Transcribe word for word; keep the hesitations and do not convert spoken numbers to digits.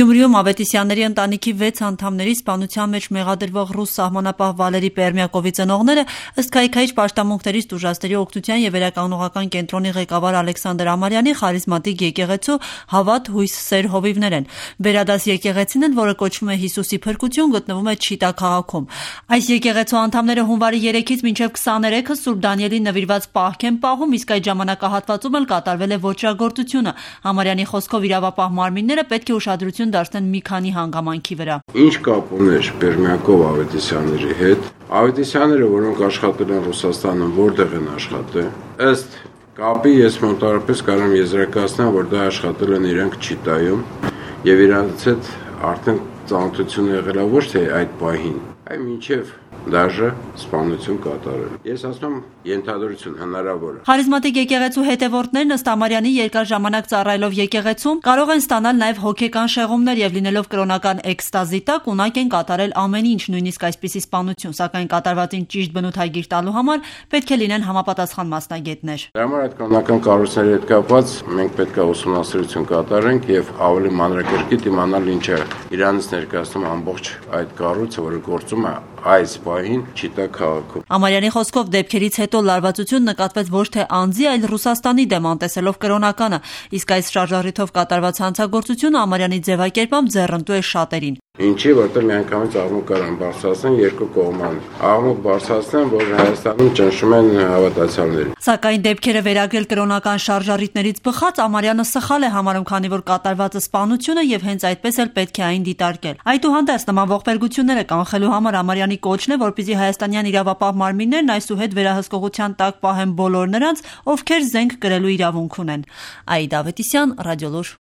Գյումրիում Ավետիսյանների ընտանիքի վեց անդամների սպանության մեջ մեղադրվող ռուս սահմանապահ Վալերի Պերմյակովի ծնողները ըստ քայքայիչ պաշտամունքներից տուժածների օգնության և վերականգնողական կենտրոնի ղեկավար Ալեքսանդր Ամարյանի խարիզմատիկ եկեղեցու Հավատ հույս սեր հովիվներ են։ Վերադաս եկեղեցին են, որը կոչվում է Հիսուսի փրկություն, գտնվում է Չիտա քաղաքում։ Այս եկեղեցու անդամները հունվարի երեքից մինչև քսաներեքը Սուրբ Դանիելին նվիրված պահք են պահում, իսկ այդ ժամանակահատվածում էլ կատարվել է ոճրագործությունը։ Ամարյանի խոսքով իրավապահ մարմինները պետք է ուշադրություն դարձնեն մի քանի հանգամանքի վրա։ Ինչ կապ ուներ Պերմյակով Ավետիսյանների հետ։ Ավետիսյանները, որոնք աշխատել են Ռուսաստանում, որտեղ են աշխատել։ Ըստ կապի ես մոտավորապես կարող եմ եզրակացնել, որ դա աշխատել են իրենք Չիտայում եւ իրանց հետ արդեն ծանոթություն եղել է ոչ թե այդ պահին, այլ մինչև դաժե սպանություն կատարել։ Ես ասում եմ ենթադրություն հնարավոր է։ Խարիզմատիկ եկեղեցու հետևորդներն ըստ Ամարյանի երկար ժամանակ ծառայելով եկեղեցում կարող են ստանալ նաև հոգեկան շեղումներ եւ լինելով կրոնական էքստազի տակ ունակ են կատարել ամեն ինչ, նույնիսկ այսպիսի սպանություն, սակայն կատարվածին ճիշտ բնութագիր տալու համար պետք է լինեն համապատասխան մասնագետներ։ Դրա համար այդ կրոնական կառույցների հետ կապված մենք պետք է ուսումնասիրություն կատարենք եւ ավելի մանրակերպիտ իմանալ ինչ է իրանից ներկայացնում ամբողջ այդ կառույցը, որը գործում է այս պահին Չիտա քաղաքում։ Ամարյանի խոսքով դեպքերից հետո լարվածություն նկատվեց ոչ թե անձի, այլ Ռուսաստանի դեմ անտեսելով կրոնականը, իսկ այս շարժառիթով կատարված հանցագործությունը Ամարյանի ձևակերպամբ ձեռնտու է շատերին։ Ինչի, որտեղ միանգամից աղմուկ կարան բարձրացնեն երկու կողման։ Աղմուկ բարձրացնեն, որ Հայաստանում ճնշում են հավատացյալներին։ Սակայն դեպքերը վերագրել կրոնական շարժառիթներից բխած Ամարյանը սխալ է համարում, քանի որ կատարվածը սպանություն է եւ հենց այդպես էլ պետք է այն դիտարկել։ Այդուհանդերձ նման ողբերգությունները կանխելու համար Ամարյանի կոչն է, որպեսզի հայաստանյան իրավապահ մարմիններն այսուհետ վերահսկողության տակ պահեն բոլոր նրանց, ովքեր զենք կրելու իրավունք ունեն։ Աիդա Ավետիսյան, Ռադիոլուր։